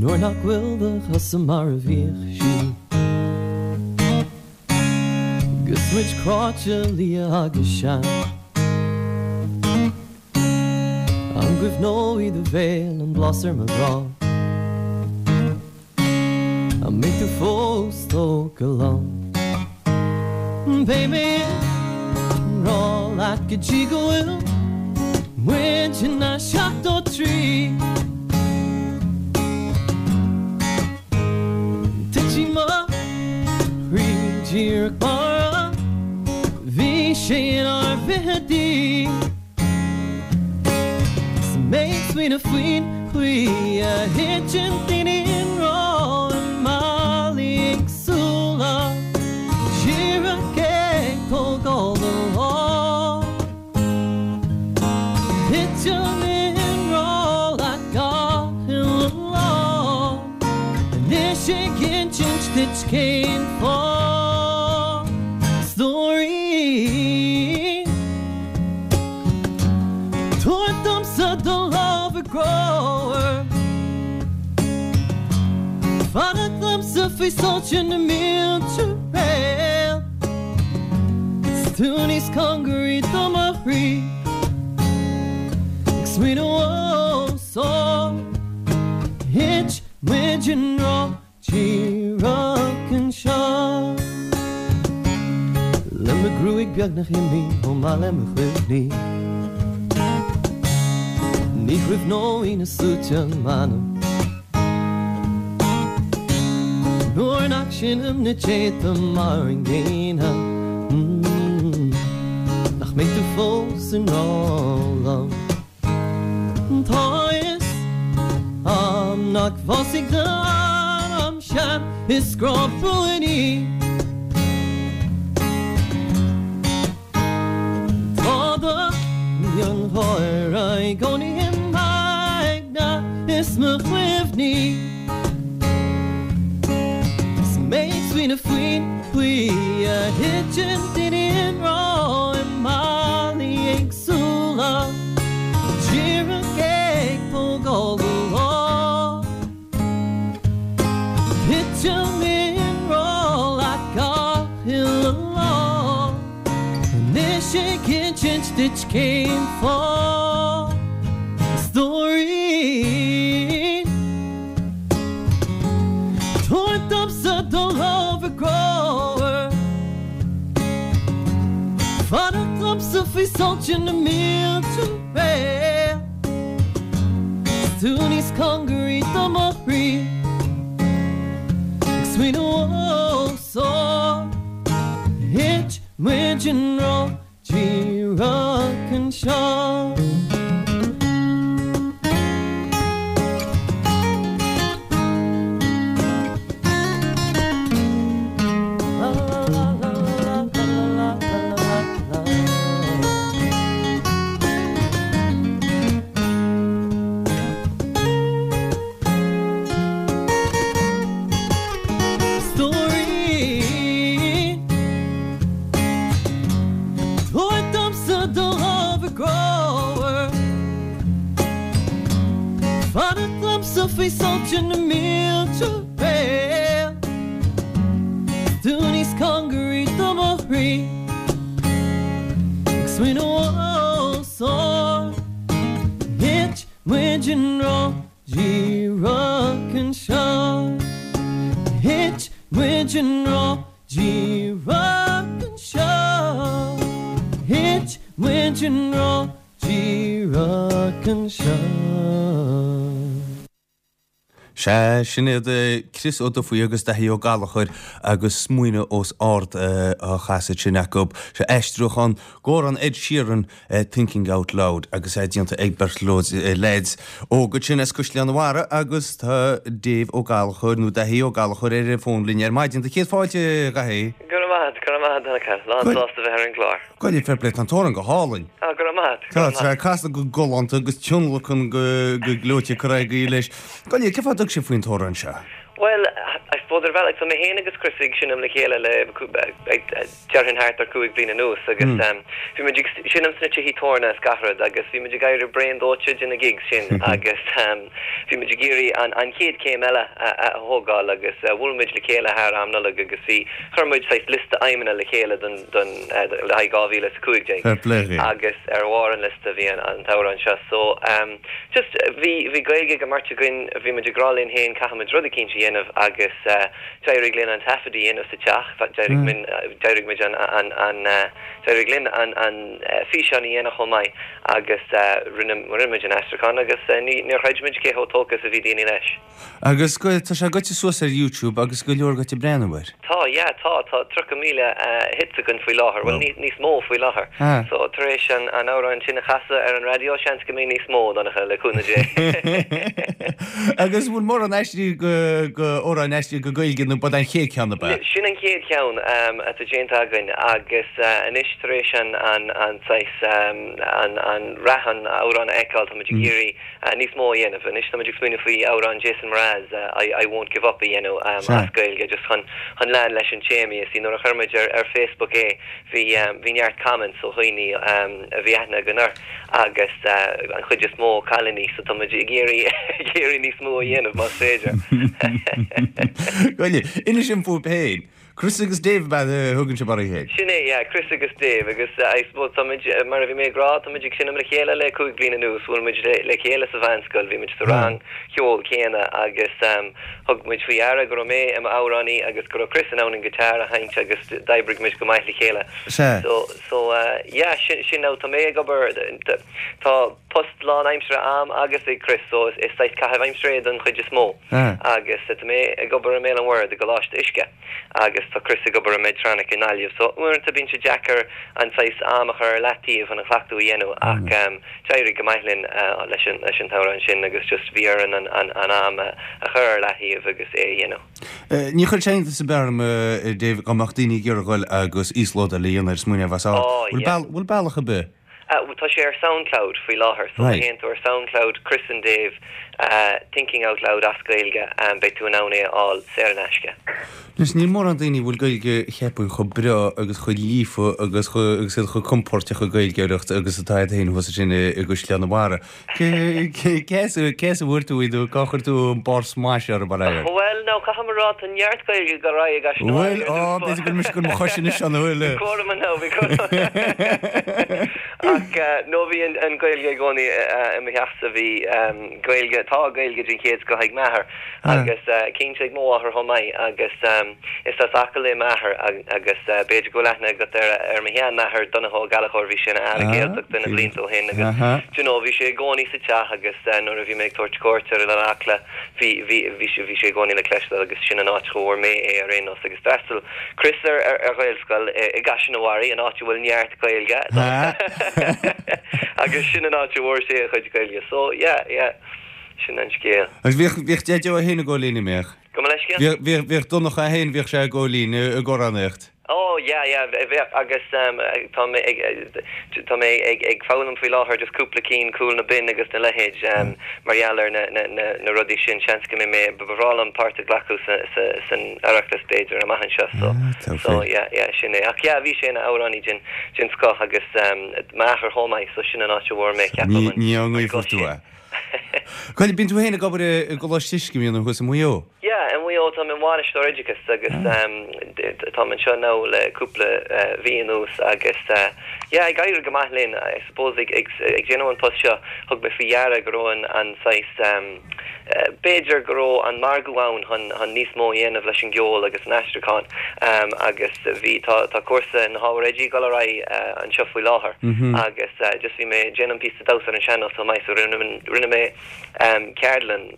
Nuair nach bhfuil do chosa mar a bhíodh siad. 'Gus muid cráite liath agus sean. An gcuimhneoidh do bhéal an blas ar mo ghrá? An mbeidh tú fós tógtha liom? Beidh mé i ngrá leat go dtí go bhfuil muid ina 73. Titfidh mo chroí díreach mar a bhí sé inár bhfichidí. 'S mé ag smaoineamh faoin chaoi a thiteann daoine i ngrá i mbealaí éagsúla, díreach ag tógáil do lámh. Titim i ngrá leat gach uile lá, anois ag insint duit cén fáth. Stóirín. Tabhair domsa do lámh a grower Fanacht liomsa faoi soilse na mílte réalt 'S tú níos cóngaraí do mo chroí Ag smaoineamh os ard Thit muid i ngrá Díreach anseo. Le mo ghruaig beagnach imithe chomh maith le mo chuimhní. Ní chuimhneoidh na sluaite m'ainm. Nuair nach seinnim na déanta mar an gcéanna. Nach mbeidh tú fós i ngrá liom. Tá a fhios a'm nach bhfásfaidh d'anam sean is grá buan í. Tá do mhiongháire i gcónaí i m'aigne is mo chuimhní. 'S mé ag smaoineamh faoin chaoi a thiteann daoine i ngrá i mbealaí éagsúla, díreach ag tógáil do lámh. Titim i ngrá leat gach uile lá, anois ag insint duit cén fáth. Stóirín. Tabhair domsa do lámh a grower. Fanacht liomsa faoi soilse na mílte réalt. 'S tú níos cóngaraí do mo chroí. Ag smaoineamh os ard. Thit muid i ngrá díreach anseo. Stóirín. Tabhair domsa do lámh a grower. Fanacht liomsa faoi soilse na mílte réalt. 'S tú níos cóngaraí do mo chroí. Ag smaoineamh os ard. Thit muid i ngrá díreach anseo. Thit muid i ngrá díreach anseo. Thit muid i ngrá díreach anseo. Sea, sin iad Chris Ó Dufaigh agus Daithí Ó Gallchóir agus Smaoineamh os Ard á chasadh sin acu. Seo aistriúchán d'amhrán Ed Sheeran, Thinking Out Loud, agus é déanta ag beirt leaids óga ansin as Caisleán an Bharraigh agus tá Dave Ó Gallchóir, nó Daithí Ó Gallchóir ar an bhfón linn ar maidin. Do chéad fáilte, a Dhaithí. Go raibh maith agat, go raibh maith agat, a Dhonncha. Lán sásta bheith ar an gclár. Go raibh fair play, tá an t-amhrán go hálainn. Á, go raibh maith agat, go raibh maith agat. Tá sé casta go galánta agus tionlacan go gleoite curtha agaibh leis. Gabh i leith, cén fáth a dtug sibh faoin t-amhrán seo? Bhuel, I. suppose ar bhealach, tá mé féin agus Chris ag seinm le chéile le, déarfainn thart ar chúig bliana anuas agus bhí muid ag seinm sna tithí tabhairne is gach rud agus bhí muid ag éirí bréan dóite de na gigs sin agus bhí muid ag iarraidh an chéad chéim eile a thógáil agus bhuail muid le chéile thar am Nollag agus bhí, chuir muid saghas liosta aidhmeanna le chéile don, don, le haghaidh 2015 Fair play dhaoibh. agus ar bharr an liosta bhí an, an t-amhrán seo so just bhí, bhí Gaeilge ag an mbeirt againn, bhí muid ag rá linn féin caithfidh muid rud eicínt a dhéanamh agus D'éirigh linn an taifead a dhéanamh sa teach, d'éirigh minn, d'éirigh muid an, an, an, d'éirigh linn an, an físeán a dhéanamh chomh maith agus rinne, rinne muid an aistriúchán agus ní, níor chreid muid cé chomh tógtha is a bhí daoine leis. Agus go, tá sé goite suas ar YouTube agus go leor goite breathnú air. Tá, yeah, tá, tá 30,000 hits againn faoi láthair, bhuel níos, níos mó faoi láthair. So tar éis an, an amhrán sin a chasadh ar an raidió seans go mbeidh níos mó, Donncha, le cúnamh Dé. Agus bhfuil mórán aistrithe go, go, amhráin aistrithe go Gaeilge nó b'é an chéad cheann ab ea? Sin an chéad cheann atá déanta againn agus anois tar éis an, an, an saghas, an, an rath an amhráin a fheiceáil tá muid ag iarraidh níos mó a dhéanamh. Anois tá muid ag smaoineamh faoi amhrán Jason Mraz, I, I Won't Give Up a dhéanamh as Gaeilge just chun, chun lean leis an téama. You see nuair a chuir muid ar, ar Facebook é bhí, bhí neart comments ó dhaoine a bhí aithne againn orthu. agus an chuid is mó cailíní, so tá muid ag iarraidh ag iarraidh níos mó a dhéanamh más féidir. Go leor. Inis dom fúibh féin. Chris agus Dave ab ea a thugann sibh oraibh féin? Sin é, yeah, Chris agus Dave agus I suppose tá muid, mar a bhí mé ag rá, tá muid ag seinm le chéile le 5 bliana anuas, bhuail muid le le chéile sa mheánscoil, bhí muid sa rang cheoil céanna agus thug muid faoi deara go raibh mé i m'amhránaí agus go raibh Chris in ann an guitar a sheinnt agus d'oibrigh muid go maith le chéile. Sea. So, So, yeah, sin, sin now, tá mé ag obair, tá post lán-aimsire a'm agus ag Chris, so is saghas caitheamh aimsire é don chuid is mó. Agus tá mé ag obair i mBéal an Mhuirthead i gColáiste Uisce agus tá Chris ag obair i Medtronic i nGaillimh. So, uaireanta bíonn sé deacair an saghas am a chur ar leataobh chun an cleachtadh a dhéanamh ach d'éirigh go maith linn leis an, leis an t-amhrán sin agus just bhí orainn an, an, an am a chur ar leataobh agus é a dhéanamh. Ní chuirfeadh sé iontas ar bith orm, a Dave, dá mbeadh daoine ag iarraidh dhul agus íoslódáil a dhéanamh ar Smaoineamh as Ard. Oh, yeah. Bhfuil bealach ar bith? Tá sé ar Soundcloud faoi láthair, so má théann tú ar Soundcloud, Chris and Dave, Thinking Out Loud as Gaeilge, beidh tú in ann é a fháil saor in aisce. Anois, níl mórán daoine a bhfuil Gaeilge cheapfainn chomh breá agus chomh líofa agus agus iad chomh compóirteach ag Gaeilgeoireacht agus atá iad féin thuas ansin i gCaisleán an Bharraigh. Cé as a bhfuair tú í nó cá chuir tú an barr smais orthu mar air? Bhuel, now, caithfidh mé a rá, tá neart Gaeilge ag dul ar aghaidh i gCaiseal Bhuel, á, b'fhéidir go bhfuil mise ag cur mo chois anois ann, an bhfuil? Bhí cúram ann, bhí cúram. Ach, no, bhí an Ghaeilge i gcónaí i mo theachsa, bhí Gaeilge, tá Gaeilge den chéad scoth ag m'athair agus cinnte ag mo mháthair chomh maith agus is as Acaill é m'athair agus b'fhéidir go bhfuil aithne agat ar ar mo sheanathair, Donncha Ó Gallchóir, bhí sé ina Aire Gaeltachta na blianta ó shin agus do you know bhí sé i gcónaí sa teach agus nuair a bhí mé ag tabhairt cuairt ar Oileán Acla bhí bhí bhí sé bhí sé i gcónaí le cloisteáil agus sin an áit a bhfuair mé é ar aon nós agus d'fhreastail Chris ar ar ar Ghaelscoil i gCaiseal an Bharraigh, an áit a bhfuil neart Gaeilge agus sin an áit a bhfuair sé a chuid Gaeilge so yeah yeah. Sin an scéal. Agus bhíodh, bhíodh Deaideo é féin ag gabháil fhoinn, an mbíodh? Gabh mo leithscéal? Bhíodh, bhíodh, bhíodh Donncha é féin, bhíodh sé ag gabháil fhoinn, ag amhránaíocht. Oh yeah, yeah, bheadh agus tá mé ag, tá mé ag, ag foghlaim faoi láthair just cúpla cinn, Cúl na Binne agus na leithéid mar gheall ar na, na, na, na rudaí sin. Seans go mbeidh mé, ba bhreá liom páirt a ghlacadh sa, sa, san Oireachtas b'fhéidir amach anseo so, Ah, tá so yeah, yeah, sin é. Ach yeah, bhí sé ina amhránaí den, den scoth agus m'athair chomh maith so sin an áit a bhfuair mé, ceapaim, Ní, an, ní an an guth tú sin. é. Bhuel, bíonn tú féin ag obair i gColáiste Uisce, an mbíonn, thuas i Maigh Eo? Yeah, i Maigh Eo, táim i m'bhainisteoir oideachais agus táim anseo now le cúpla mhí anuas agus yeah, ag éirí go maith linn. I suppose ag déanamh an post seo, thug mé faoi dheara go raibh an an saghas, b'fhéidir go raibh an margadh ann chun níos mó a dhéanamh leis an gceol agus an aistriúchán agus bhí, tá tá cúrsa na hábhair oidí ag dul ar aghaidh anseo faoi láthair agus just bhí mé ag déanamh píosa damhsa ar an sean-nós chomh maith so rinne mé ceardlann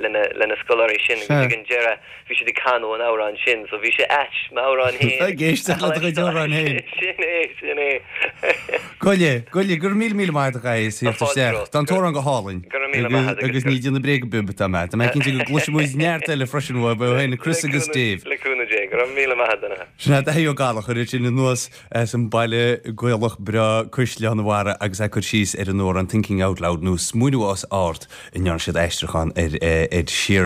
le na scoláirí sin agus ag an deireadh bhí siad ag canadh an amhrán sin so bhí sé ait m'amhrán féin Ag éisteacht le do chuid amhrán féin. Sin é, sin é. Goile, goile, go raibh míle míle maith agat a Dhaithí as theacht isteach. Tá an t-amhrán go hálainn. Go raibh míle maith agat. Agus ní ag déanamh bréige bib atá mé. Tá mé cinnte go gcloisfidh muid neart eile freisin uaibh, ó féin, Chris agus Dave. Le cúnamh Dé. Go raibh míle maith agat. Sin é Daithí Ó Gallchóir ansin anuas As an mbaile Gaelach breá Caisleán an Bharraigh agus é ag cur síos ar an amhrán Thinking Out Loud nó Smaoineamh os Ard a ndearna siad aistriúchán ar Ed Sheeran.